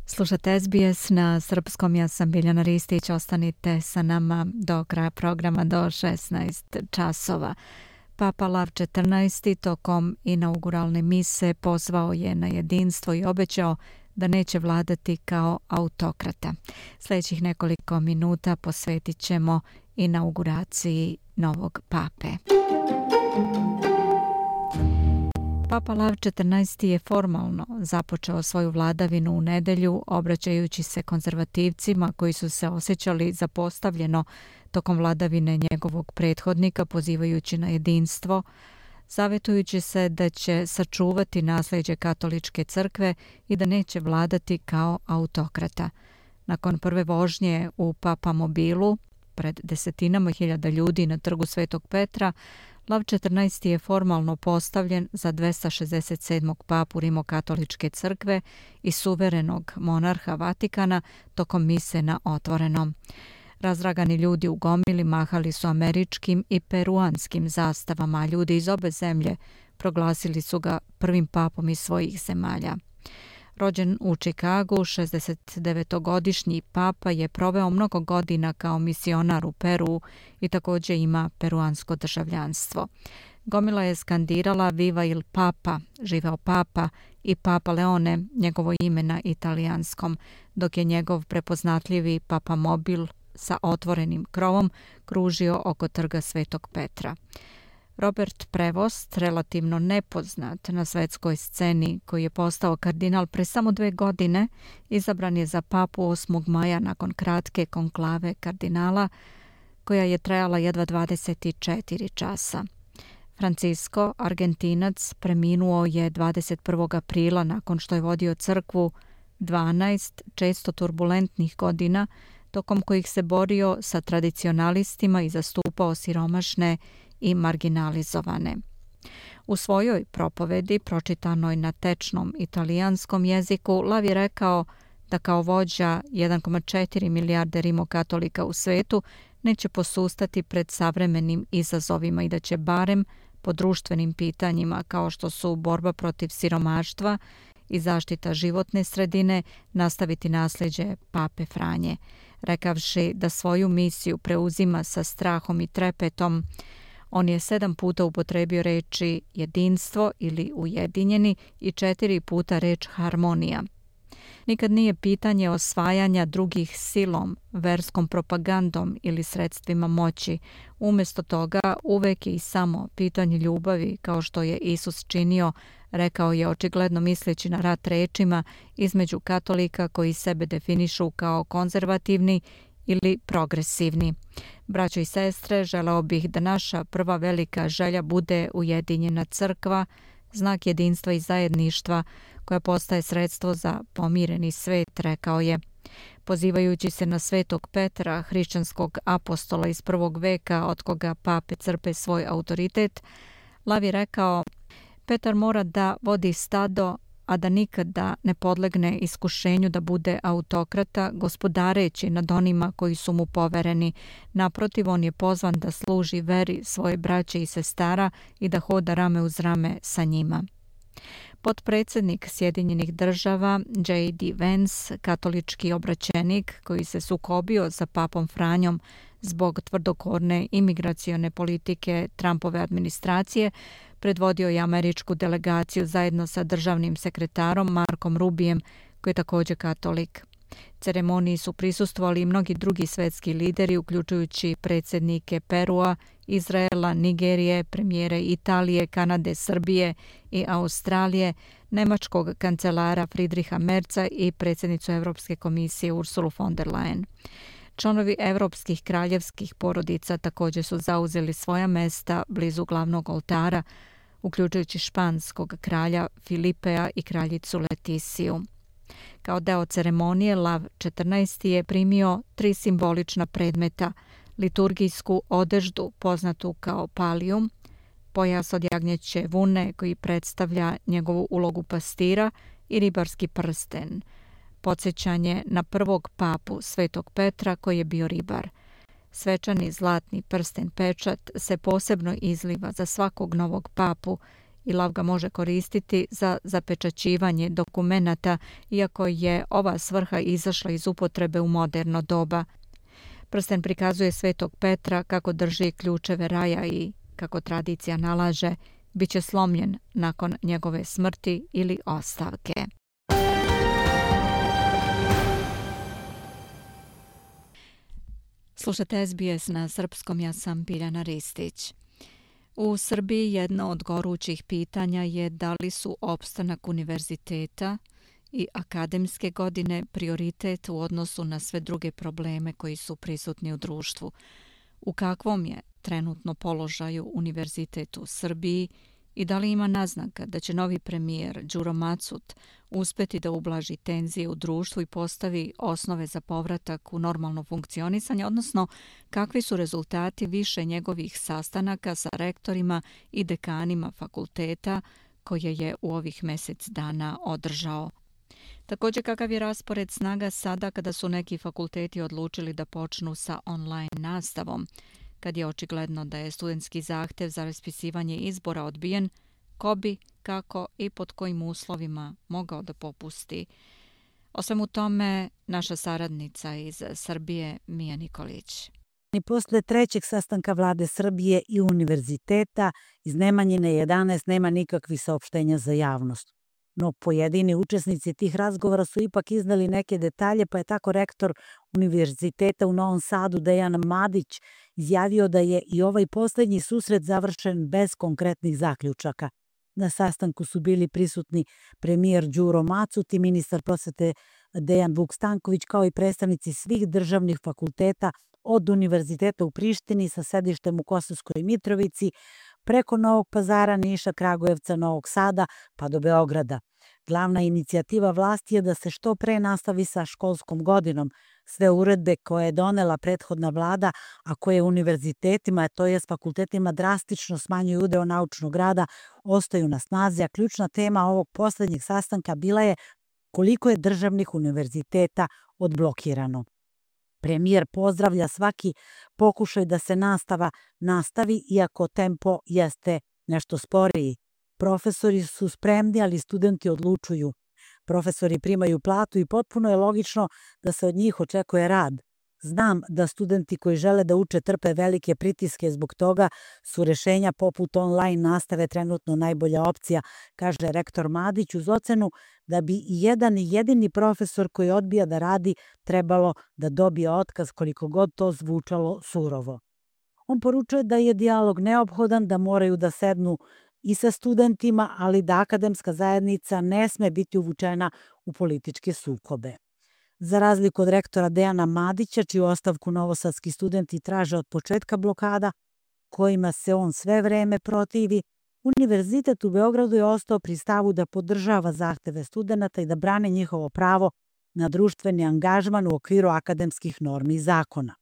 Slušate SBS na srpskom, ja sam Biljana Ristić, ostanite sa nama do kraja programa do 16 časova. Papa Lav XIV tokom inauguralne mise pozvao je na jedinstvo i obećao da neće vladati kao autokrata. Sljedećih nekoliko minuta posvetit ćemo inauguraciji novog pape. Papa Lav XIV je formalno započeo svoju vladavinu u nedjelju, obraćajući se konzervativcima koji su se osjećali zapostavljeno tokom vladavine njegovog prethodnika, pozivajući na jedinstvo, savjetujući se da će sačuvati nasljeđe katoličke crkve i da neće vladati kao autokrata. Nakon prve vožnje u papamobilu, pred desetinama hiljada ljudi na trgu Svetog Petra, Lav XIV je formalno postavljen za 267. papu Rimokatoličke crkve i suverenog monarha Vatikana tokom mise na otvorenom. Razdragani ljudi u gomili mahali su američkim i peruanskim zastavama, a ljudi iz obe zemlje proglasili su ga prvim papom iz svojih zemalja. Rođen u Čikagu, 69-godišnji papa je proveo mnogo godina kao misionar u Peru i također ima peruansko državljanstvo. Gomila je skandirala Viva il Papa, živeo papa, i Papa Leone, njegovo ime na italijanskom, dok je njegov prepoznatljivi papamobil sa otvorenim krovom kružio oko trga Svetog Petra. Robert Prevost, relativno nepoznat na svetskoj sceni, koji je postao kardinal pre samo 2 godine, izabran je za papu 8. maja nakon kratke konklave kardinala, koja je trajala jedva 24 časa. Francisco, Argentinac, preminuo je 21. aprila nakon što je vodio crkvu 12 često turbulentnih godina, tokom kojih se borio sa tradicionalistima i zastupao siromašne i marginalizovane. U svojoj propovedi, pročitanoj na tečnom italijanskom jeziku, Lav je rekao da kao vođa 1,4 milijarde rimokatolika u svetu neće posustati pred savremenim izazovima i da će barem po društvenim pitanjima kao što su borba protiv siromaštva i zaštita životne sredine nastaviti nasljeđe Pape Franje, rekavši da svoju misiju preuzima sa strahom i trepetom. On je 7 puta upotrebio reči jedinstvo ili ujedinjeni i 4 puta reč harmonija. Nikad nije pitanje osvajanja drugih silom, verskom propagandom ili sredstvima moći. Umjesto toga uvek je i samo pitanje ljubavi, kao što je Isus činio, rekao je očigledno misleći na rat rečima između katolika koji sebe definišu kao konzervativni ili progresivni. Braćo i sestre, želeo bih da naša prva velika želja bude ujedinjena crkva, znak jedinstva i zajedništva koja postaje sredstvo za pomireni svet, rekao je. Pozivajući se na Svetog Petra, hrišćanskog apostola iz 1. veka od koga pape crpe svoj autoritet, Lav je rekao: Petar mora da vodi stado, a da nikada ne podlegne iskušenju da bude autokrata, gospodareći nad onima koji su mu povereni. Naprotiv, on je pozvan da služi veri svoje braće i sestara i da hoda rame uz rame sa njima. Potpredsjednik Sjedinjenih država J.D. Vance, katolički obraćenik koji se sukobio sa papom Franjom zbog tvrdokorne imigracione politike Trumpove administracije, predvodio je američku delegaciju zajedno sa državnim sekretarom Markom Rubijem, koji je također katolik. Ceremoniji su prisustvovali i mnogi drugi svetski lideri, uključujući predsjednike Perua, Izraela, Nigerije, premijere Italije, Kanade, Srbije i Australije, nemačkog kancelara Friedricha Merza i predsjednicu Europske komisije Ursulu von der Leyen. Članovi evropskih kraljevskih porodica također su zauzeli svoja mesta blizu glavnog oltara, uključujući španskog kralja Filipea i kraljicu Letisiju. Kao deo ceremonije Lav XIV je primio 3 simbolična predmeta: liturgijsku odeždu poznatu kao palijum, pojas od jagnjeće vune koji predstavlja njegovu ulogu pastira i ribarski prsten, podsjećanje na prvog papu Svetog Petra koji je bio ribar. Svečani zlatni prsten pečat se posebno izliva za svakog novog papu i Lav ga može koristiti za zapečaćivanje dokumenata, iako je ova svrha izašla iz upotrebe u moderno doba. Prsten prikazuje Svetog Petra kako drži ključeve raja i, kako tradicija nalaže, bit će slomljen nakon njegove smrti ili ostavke. Slušate SBS na srpskom, ja sam Biljana Ristić. U Srbiji jedno od gorućih pitanja je da li su opstanak univerziteta i akademske godine prioritet u odnosu na sve druge probleme koji su prisutni u društvu. U kakvom je trenutno položaju univerzitet u Srbiji I da li ima naznaka da će novi premijer Đuro Macut uspeti da ublaži tenzije u društvu i postavi osnove za povratak u normalno funkcionisanje, odnosno kakvi su rezultati više njegovih sastanaka sa rektorima i dekanima fakulteta koje je u ovih mjesec dana održao. Također, kakav je raspored snaga sada kada su neki fakulteti odlučili da počnu sa online nastavom, kad je očigledno da je studentski zahtev za raspisivanje izbora odbijen, ko bi, kako i pod kojim uslovima mogao da popusti. O svemu tome naša saradnica iz Srbije Mija Nikolić. I posle trećeg sastanka vlade Srbije i univerziteta iz Nemanjine 11 nema nikakvih saopštenja za javnost. No pojedini učesnici tih razgovora su ipak iznali neke detalje, pa je tako rektor Univerziteta u Novom Sadu Dejan Madić izjavio da je i ovaj posljednji susret završen bez konkretnih zaključaka. Na sastanku su bili prisutni premijer Đuro Macut i ministar prosvete Dejan Vuk Stanković, kao i predstavnici svih državnih fakulteta od Univerziteta u Prištini sa sedištem u Kosovskoj Mitrovici, preko Novog Pazara, Niša, Kragujevca, Novog Sada pa do Beograda. Glavna inicijativa vlasti je da se što pre nastavi sa školskom godinom. Sve uredbe koje je donela prethodna vlada, a koje univerzitetima, to jest fakultetima, drastično smanjuju udeo naučnog rada, ostaju na snazi, a ključna tema ovog posljednjeg sastanka bila je koliko je državnih univerziteta odblokirano. Premijer pozdravlja svaki pokušaj da se nastava nastavi, iako tempo jeste nešto sporiji. Profesori su spremni, ali studenti odlučuju. Profesori primaju platu i potpuno je logično da se od njih očekuje rad. Znam da studenti koji žele da uče trpe velike pritiske, zbog toga su rešenja poput online nastave trenutno najbolja opcija, kaže rektor Madić, uz ocenu da bi i jedan jedini profesor koji odbija da radi trebalo da dobije otkaz, koliko god to zvučalo surovo. On poručuje da je dijalog neophodan, da moraju da sednu i sa studentima, ali da akademska zajednica ne sme biti uvučena u političke sukobe. Za razliku od rektora Dejana Madića, čiju ostavku novosadski studenti traže od početka blokada, kojima se on sve vreme protivi, Univerzitet u Beogradu je ostao pri stavu da podržava zahteve studenata i da brane njihovo pravo na društveni angažman u okviru akademskih normi i zakona.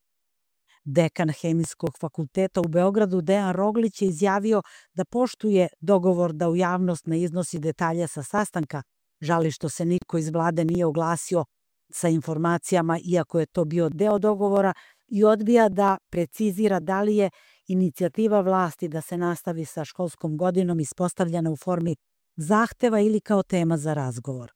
Dekan Hemijskog fakulteta u Beogradu Dejan Roglić je izjavio da poštuje dogovor da u javnost ne iznosi detalje sa sastanka, žali što se niko iz vlade nije oglasio sa informacijama, iako je to bio deo dogovora, i odbija da precizira da li je inicijativa vlasti da se nastavi sa školskom godinom ispostavljena u formi zahteva ili kao tema za razgovor.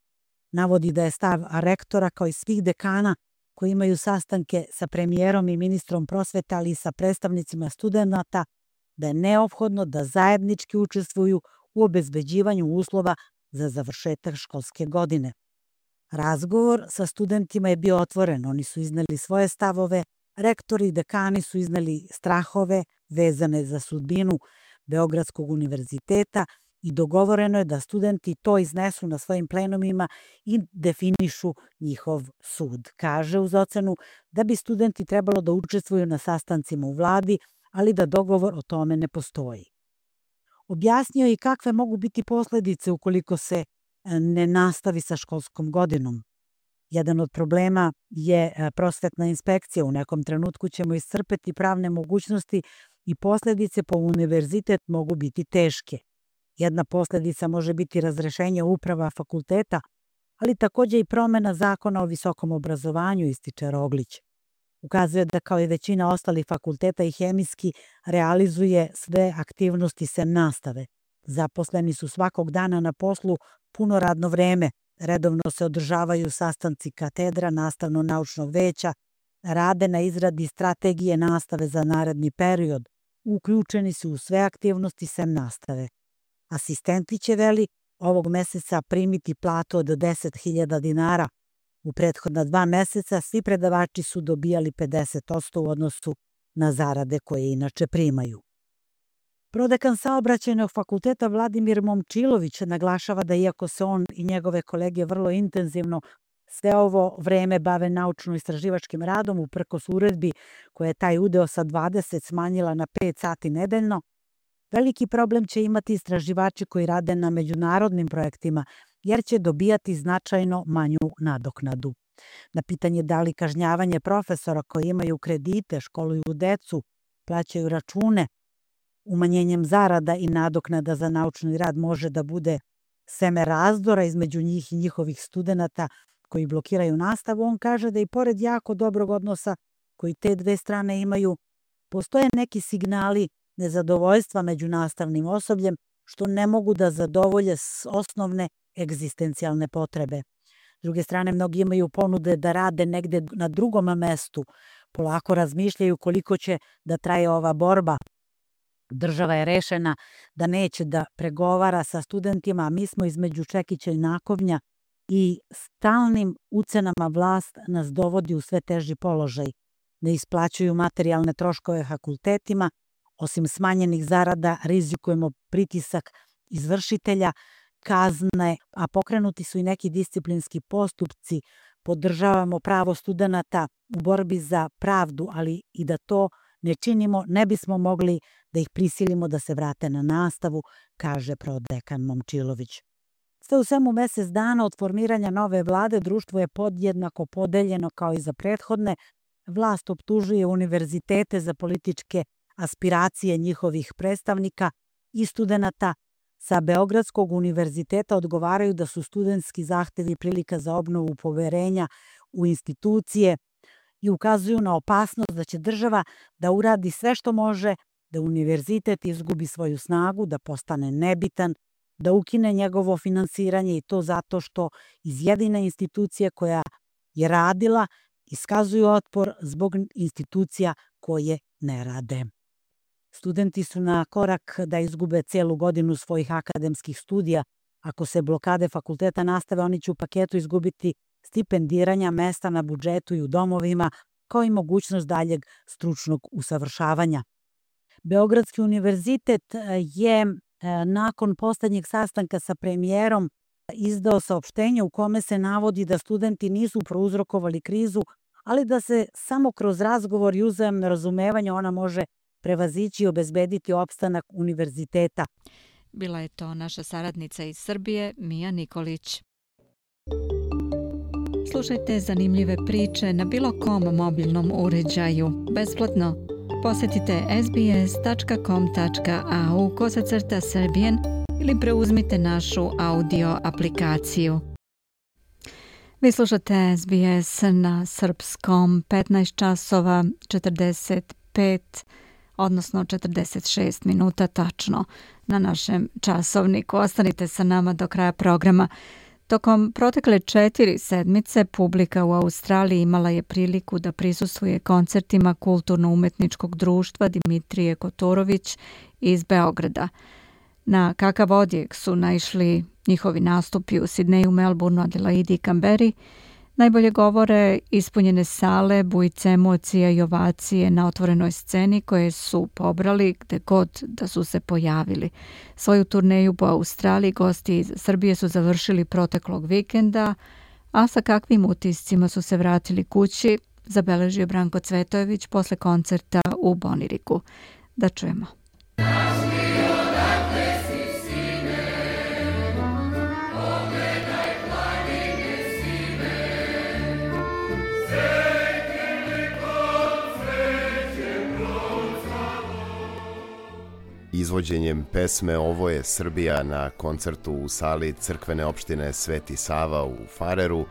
Navodi da je stav rektora, kao i svih dekana koji imaju sastanke sa premijerom i ministrom prosvete, ali i sa predstavnicima studenata, da je neophodno da zajednički učestvuju u obezbeđivanju uslova za završetak školske godine. Razgovor sa studentima je bio otvoren, oni su izneli svoje stavove, rektori i dekani su izneli strahove vezane za sudbinu Beogradskog univerziteta i dogovoreno je da studenti to iznesu na svojim plenumima i definišu njihov sud. Kaže uz ocenu da bi studenti trebalo da učestvuju na sastancima u vladi, ali da dogovor o tome ne postoji. Objasnio je i kakve mogu biti posledice ukoliko se ne nastavi sa školskom godinom. Jedan od problema je prosvetna inspekcija. U nekom trenutku ćemo iscrpeti pravne mogućnosti i posledice po univerzitet mogu biti teške. Jedna posledica može biti razrešenje uprava fakulteta, ali također i promjena zakona o visokom obrazovanju, ističe Roglić. Ukazuje da kao i većina ostalih fakulteta i hemijski realizuje sve aktivnosti sem nastave. Zaposleni su svakog dana na poslu puno radno vreme, redovno se održavaju sastanci katedra, nastavno-naučnog veća, rade na izradi strategije nastave za naredni period, uključeni su u sve aktivnosti sem nastave. Asistenti će, veli, ovog meseca primiti platu od 10.000 dinara. U prethodna 2 meseca svi predavači su dobijali 50% u odnosu na zarade koje inače primaju. Prodekan Saobraćajnog fakulteta Vladimir Momčilović naglašava da iako se on i njegove kolege vrlo intenzivno sve ovo vreme bave naučno-istraživačkim radom, uprkos uredbi koja je taj udeo sa 20 smanjila na 5 sati nedeljno, Veliki problem će imati istraživači koji rade na međunarodnim projektima, jer će dobijati značajno manju nadoknadu. Na pitanje da li kažnjavanje profesora koji imaju kredite, školuju decu, plaćaju račune, umanjenjem zarada i nadoknada za naučni rad može da bude seme razdora između njih i njihovih studenata koji blokiraju nastavu, on kaže da i pored jako dobrog odnosa koji te dve strane imaju, postoje neki signali nezadovoljstva među nastavnim osobljem što ne mogu da zadovolje osnovne egzistencijalne potrebe. S druge strane, mnogi imaju ponude da rade negde na drugom mestu, polako razmišljaju koliko će da traje ova borba. Država je rešena da neće da pregovara sa studentima, a mi smo između čekića i nakovnja i stalnim ucenama vlast nas dovodi u sve teži položaj. Ne isplaćuju materijalne troškove fakultetima, osim smanjenih zarada rizikujemo pritisak izvršitelja, kazne, a pokrenuti su i neki disciplinski postupci, podržavamo pravo studenata u borbi za pravdu, ali i da to ne činimo, ne bismo mogli da ih prisilimo da se vrate na nastavu, kaže prodekan Momčilović. Sve u svemu mesec dana od formiranja nove vlade društvo je podjednako podeljeno kao i za prethodne. Vlast optužuje univerzitete za političke aspiracije njihovih predstavnika i studenata. Sa Beogradskog univerziteta odgovaraju da su studentski zahtevi prilika za obnovu poverenja u institucije i ukazuju na opasnost da će država da uradi sve što može da univerzitet izgubi svoju snagu, da postane nebitan, da ukine njegovo finansiranje i to zato što iz jedine institucije koja je radila iskazuju otpor zbog institucija koje ne rade. Studenti su na korak da izgube celu godinu svojih akademskih studija. Ako se blokade fakulteta nastave, oni će u paketu izgubiti stipendiranja, mesta na budžetu i u domovima, kao i mogućnost daljeg stručnog usavršavanja. Beogradski univerzitet je nakon poslednjeg sastanka sa premijerom izdao saopštenje u kome se navodi da studenti nisu prouzrokovali krizu, ali da se samo kroz razgovor i uzajamno razumevanje ona može prevazići i obezbediti opstanak univerziteta. Bila je to naša saradnica iz Srbije, Mija Nikolić. Slušajte zanimljive priče na bilo kom mobilnom uređaju, besplatno. Posjetite sbs.com.au/Serbian ili preuzmite našu audio aplikaciju. Vi slušate SBS na srpskom 15 časova 45, odnosno 46 minuta tačno na našem časovniku. Ostanite sa nama do kraja programa. Tokom protekle 4 sedmice publika u Australiji imala je priliku da prisustvuje koncertima kulturno-umetničkog društva Dimitrije Kotorović iz Beograda. Na kakav odjek su naišli njihovi nastupi u Sidneju, Melbourneu, Adelaidi i Kamberi, najbolje govore ispunjene sale, bujice emocija i ovacije na otvorenoj sceni koje su pobrali gde god da su se pojavili. Svoju turneju po Australiji gosti iz Srbije su završili proteklog vikenda, a sa kakvim utiscima su se vratili kući, zabeležio Branko Cvetojević posle koncerta u Boniriku. Da čujemo. Izvođenjem pesme Ovo je Srbija na koncertu u sali crkvene opštine Sveti Sava u Fareru,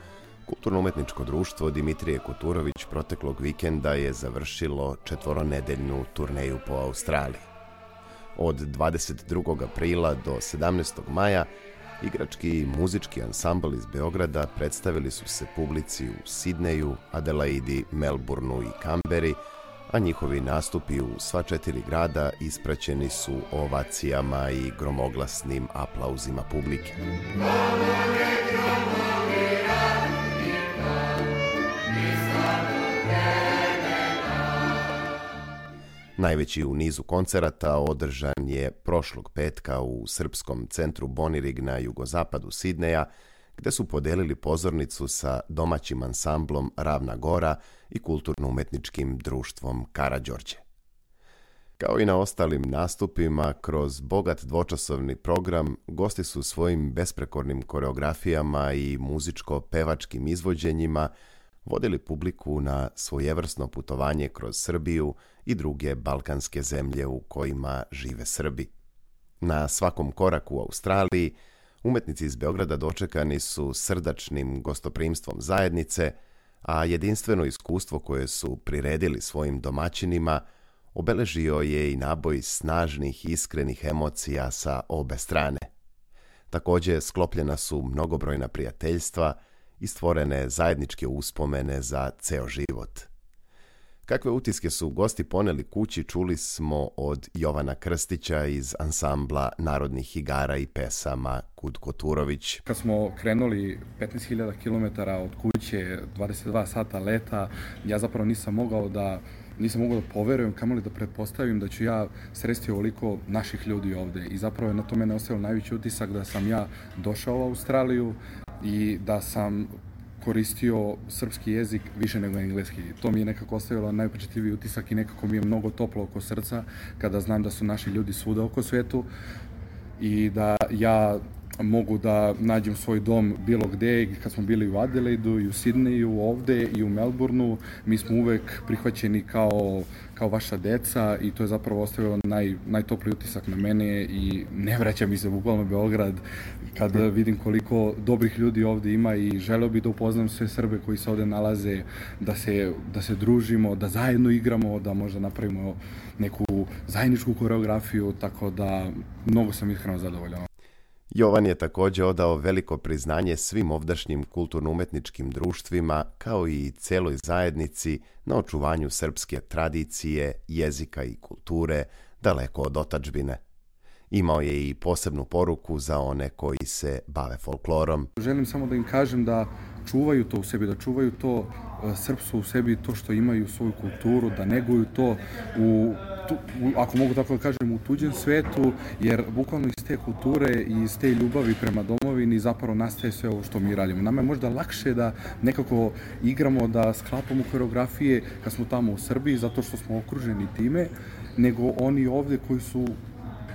kulturno-umetničko društvo Dimitrije Kotorović proteklog vikenda je završilo 4-nedeljnu turneju po Australiji. Od 22. aprila do 17. maja igrački i muzički ansambl iz Beograda predstavili su se publici u Sidneju, Adelaidi, Melbourneu i Kamberi, a njihovi nastupi u sva 4 grada ispraćeni su ovacijama i gromoglasnim aplauzima publike. Najveći u nizu koncerata održan je prošlog petka u srpskom centru Bonirig na jugozapadu Sidneja, gde su podelili pozornicu sa domaćim ansamblom Ravna Gora i kulturno-umetničkim društvom Karađorđe. Kao i na ostalim nastupima, kroz bogat dvočasovni program, gosti su svojim besprekornim koreografijama i muzičko-pevačkim izvođenjima vodili publiku na svojevrsno putovanje kroz Srbiju i druge balkanske zemlje u kojima žive Srbi. Na svakom koraku u Australiji, umetnici iz Beograda dočekani su srdačnim gostoprimstvom zajednice, a jedinstveno iskustvo koje su priredili svojim domaćinima obeležio je i naboj snažnih, iskrenih emocija sa obe strane. Također sklopljena su mnogobrojna prijateljstva i stvorene zajedničke uspomene za ceo život. Kakve utiske su gosti poneli kući čuli smo od Jovana Krstića iz ansambla narodnih igara i pesama Kud Koturović. Kad smo krenuli 15.000 km od kuće, 22 sata leta, ja zapravo nisam mogao da poverujem, kamoli da pretpostavim da ću ja sresti ovoliko naših ljudi ovde. I zapravo je na to mene ostavio najveći utisak da sam ja došao u Australiju i da sam koristio srpski jezik više nego engleski. To mi je nekako ostavilo najupečatljiviji utisak i nekako mi je mnogo toplo oko srca kada znam da su naši ljudi svuda oko svetu i da ja mogu da nađem svoj dom bilo gde. Kad smo bili u Adelaidu i u Sidneju, ovde i u Melbourneu, mi smo uvek prihvaćeni kao vaša deca i to je zapravo ostavilo najtopliji utisak na mene i ne vraća mi se bukvalno Beograd kad vidim koliko dobrih ljudi ovde ima i želeo bih da upoznam sve Srbe koji se ovde nalaze, da se družimo, da zajedno igramo, da možda napravimo neku zajedničku koreografiju, tako da mnogo sam iskreno zadovoljan. Jovan je također odao veliko priznanje svim ovdašnjim kulturno-umetničkim društvima, kao i celoj zajednici na očuvanju srpske tradicije, jezika i kulture daleko od otadžbine. Imao je i posebnu poruku za one koji se bave folklorom. Želim samo da im kažem da čuvaju to u sebi, da čuvaju to srpstvo u sebi, to što imaju svoju kulturu, da neguju to ako mogu tako da kažem, u tuđem svetu, jer bukvalno iz te kulture i iz te ljubavi prema domovini zapravo nastaje sve ovo što mi radimo. Nama je možda lakše da nekako igramo, da sklapamo koreografije kad smo tamo u Srbiji, zato što smo okruženi time, nego oni ovde koji su,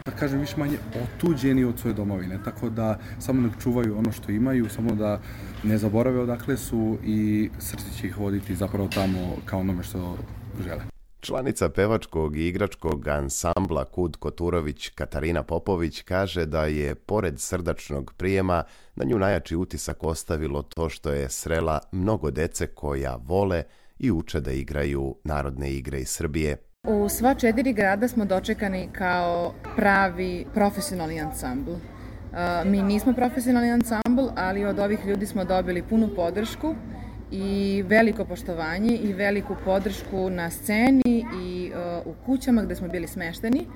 da kažem, više manje otuđeni od svoje domovine. Tako da samo nek čuvaju ono što imaju, samo da ne zaborave odakle su i srce će ih voditi zapravo tamo kao onome što žele. Članica pevačkog i igračkog ansambla Kud Koturović Katarina Popović kaže da je, pored srdačnog prijema, na nju najjači utisak ostavilo to što je srela mnogo dece koja vole i uče da igraju narodne igre iz Srbije. U sva 4 grada smo dočekani kao pravi profesionalni ansambl. Mi nismo profesionalni ansambl, ali od ovih ljudi smo dobili punu podršku i veliko poštovanje i veliku podršku na sceni i u kućama gde smo bili smešteni.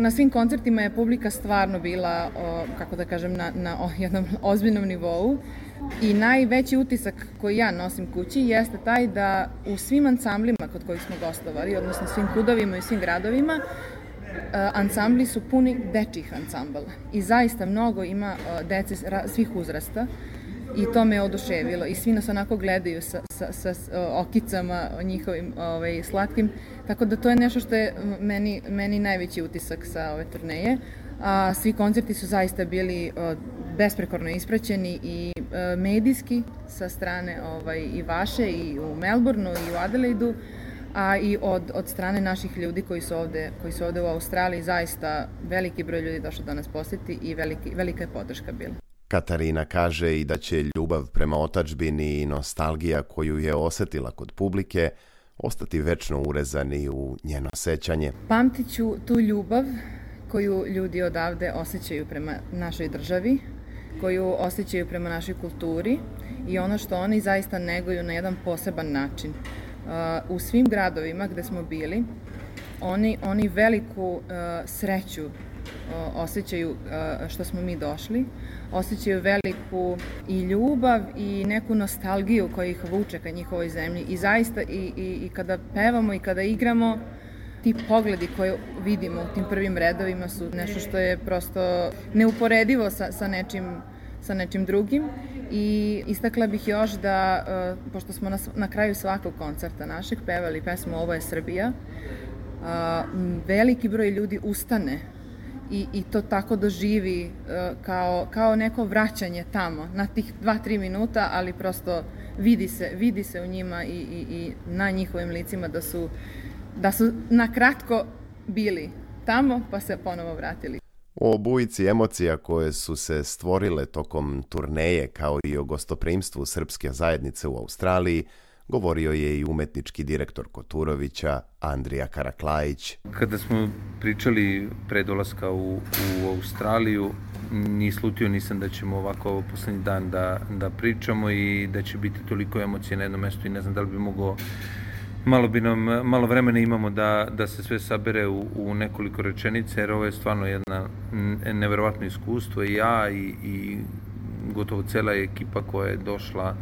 Na svim koncertima je publika stvarno bila, kako da kažem, na jednom ozbiljnom nivou i najveći utisak koji ja nosim kući jeste taj da u svim ansamblima kod kojih smo gostovali, odnosno svim kudovima i svim gradovima, ansambli su puni dečjih ansambala i zaista mnogo ima dece svih uzrasta. I to me oduševilo i svi nas onako gledaju sa okicama njihovim slatkim, tako da to je nešto što je meni najveći utisak sa ove turneje. Svi koncerti su zaista bili besprekorno ispraćeni i medijski sa strane i vaše i u Melbourneu i u Adelaidu, a i od strane naših ljudi koji su ovde u Australiji. Zaista veliki broj ljudi došao da nas posjeti i velika je podrška bila. Katarina kaže i da će ljubav prema otadžbini i nostalgija koju je osetila kod publike ostati večno urezani u njeno sećanje. Pamtit ću tu ljubav koju ljudi odavde osjećaju prema našoj državi, koju osjećaju prema našoj kulturi i ono što oni zaista neguju na jedan poseban način. U svim gradovima gde smo bili, oni veliku sreću osjećaju što smo mi došli, osjećaju veliku i ljubav i neku nostalgiju koja ih vuče ka njihovoj zemlji i zaista i kada pevamo i kada igramo, ti pogledi koje vidimo u tim prvim redovima su nešto što je prosto neuporedivo sa nečim drugim i istakla bih još da, pošto smo na kraju svakog koncerta našeg pevali pesmu Ovo je Srbija, veliki broj ljudi ustane i to tako doživi kao neko vraćanje tamo na tih 2-3 minuta, ali prosto vidi se u njima i na njihovim licima da su na kratko bili tamo pa se ponovo vratili. O bujici emocija koje su se stvorile tokom turneje kao i o gostoprimstvu srpske zajednice u Australiji govorio je i umetnički direktor Koturovića Andrija Karaklajić. Kada smo pričali pre dolaska u Australiju, ni slutio nisam da ćemo ovako poslednji dan da pričamo i da će biti toliko emocije na jednom mestu i ne znam da li bi mogao, malo vremena imamo da se sve sabere u nekoliko rečenica, jer ovo je stvarno jedna neverovatno iskustvo i ja i gotovo cela ekipa koja je došla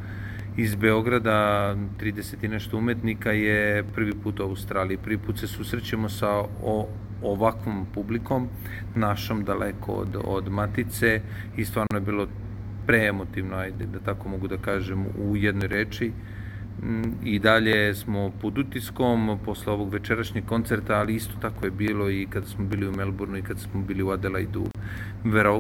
iz Beograda, 30 i nešto umetnika, je prvi put u Australiji. Prvi put se susrećemo sa ovakvom publikom, našom daleko od matice i stvarno je bilo preemotivno, ajde da tako mogu da kažem, u jednoj reči. I dalje smo pod utiskom posle ovog večerašnjeg koncerta, ali isto tako je bilo i kada smo bili u Melbourneu i kada smo bili u Adelaidu.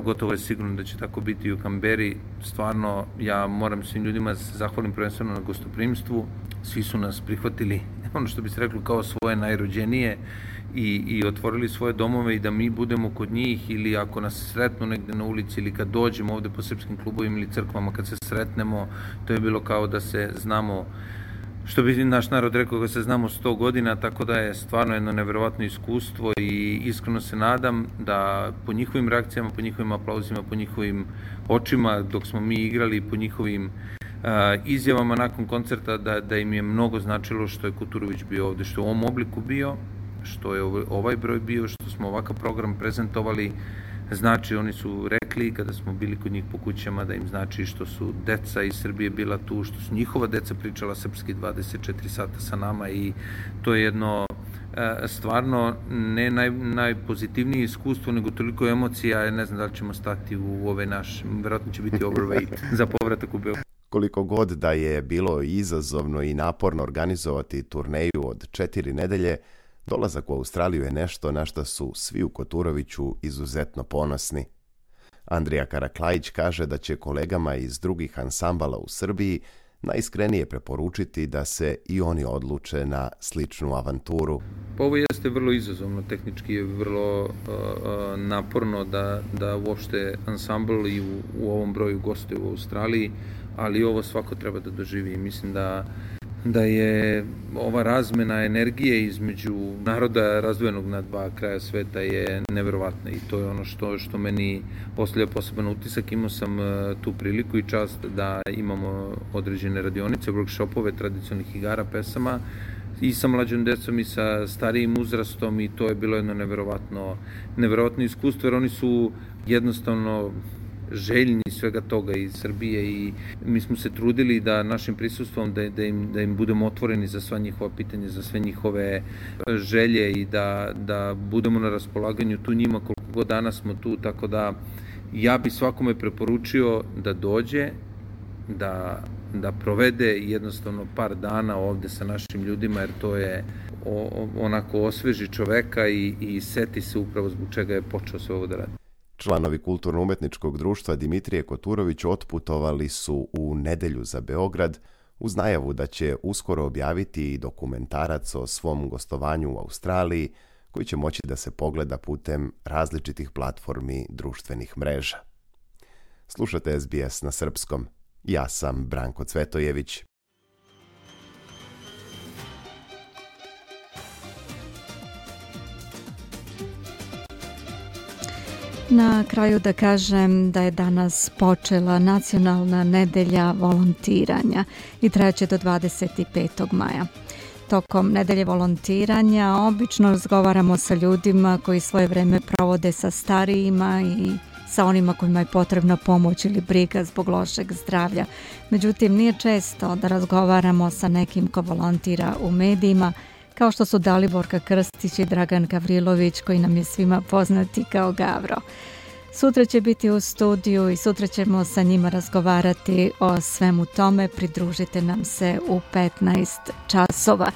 Gotovo je sigurno da će tako biti i u Kamberi. Stvarno, ja moram svim ljudima da se zahvalim prvenstveno na gostoprimstvu. Svi su nas prihvatili, ono što bi se reklo, kao svoje najrođenije i otvorili svoje domove i da mi budemo kod njih ili ako nas sretnu negde na ulici ili kad dođemo ovde po srpskim klubovima ili crkvama, kad se sretnemo, to je bilo kao da se znamo, što bi naš narod rekao, da se znamo 100 godina, tako da je stvarno jedno neverovatno iskustvo i iskreno se nadam da po njihovim reakcijama, po njihovim aplauzima, po njihovim očima dok smo mi igrali, po njihovim izjavama nakon koncerta da im je mnogo značilo što je Koturović bio ovde, što je u ovom obliku bio, što je ovaj broj bio, što smo ovakav program prezentovali. Znači, oni su rekli kada smo bili kod njih po kućama da im znači što su deca iz Srbije bila tu, što su njihova deca pričala srpski 24 sata sa nama i to je jedno stvarno ne najpozitivnije iskustvo, nego toliko emocija, ne znam da li ćemo stati u ove naš, verovatno će biti overweight za povratak u Beograd. Koliko god da je bilo izazovno i naporno organizovati turneju od 4 nedelje, dolazak u Australiju je nešto na što su svi u Koturoviću izuzetno ponosni. Andrija Karaklajić kaže da će kolegama iz drugih ansambala u Srbiji najiskrenije preporučiti da se i oni odluče na sličnu avanturu. Ovo jeste vrlo izazovno, tehnički je vrlo naporno da uopšte ansambl i u ovom broju gostuje u Australiji, ali ovo svako treba da doživi. Mislim da je ova razmena energije između naroda razdvojenog na dva kraja sveta je neverovatna i to je ono što meni postavlja poseban utisak. Imao sam tu priliku i čast da imamo određene radionice, workshopove tradicionalnih igara, pesama i sa mlađom decom i sa starijim uzrastom i to je bilo jedno neverovatno iskustvo, jer oni su jednostavno željni svega toga iz Srbije i mi smo se trudili da našim prisustvom da im budemo otvoreni za sva njihova pitanja, za sve njihove želje i da budemo na raspolaganju tu njima koliko god dana smo tu, tako da ja bi svakome preporučio da dođe, da provede jednostavno par dana ovde sa našim ljudima, jer to je onako osveži čoveka i seti se upravo zbog čega je počeo sve ovo da radi. Članovi Kulturno-umetničkog društva Dimitrije Koturović otputovali su u nedelju za Beograd uz najavu da će uskoro objaviti i dokumentarac o svom gostovanju u Australiji koji će moći da se pogleda putem različitih platformi društvenih mreža. Slušate SBS na srpskom. Ja sam Branko Cvetojević. Na kraju da kažem da je danas počela nacionalna nedelja volontiranja i trajaće do 25. maja. Tokom nedelje volontiranja obično razgovaramo sa ljudima koji svoje vreme provode sa starijima i sa onima kojima je potrebna pomoć ili briga zbog lošeg zdravlja. Međutim, nije često da razgovaramo sa nekim ko volontira u medijima, kao što su Daliborka Krstić i Dragan Gavrilović, koji nam je svima poznati kao Gavro. Sutra će biti u studiju i sutra ćemo sa njima razgovarati o svemu tome. Pridružite nam se u 15 časova.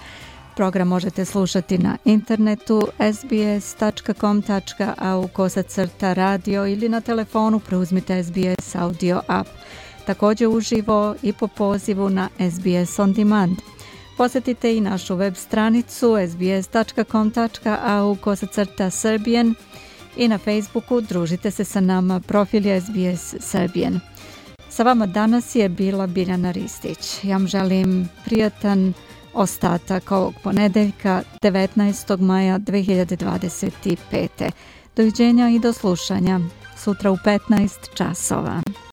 Program možete slušati na internetu sbs.com.au/radio ili na telefonu preuzmite SBS audio app. Također uživo i po pozivu na SBS On Demand. Posjetite i našu web stranicu sbs.com.au/Serbian i na Facebooku družite se sa nama profil SBS Serbian. Sa vama danas je bila Biljana Ristić. Ja vam želim prijatan ostatak ovog ponedeljka 19. maja 2025. Doviđenja i do slušanja sutra u 15 časova.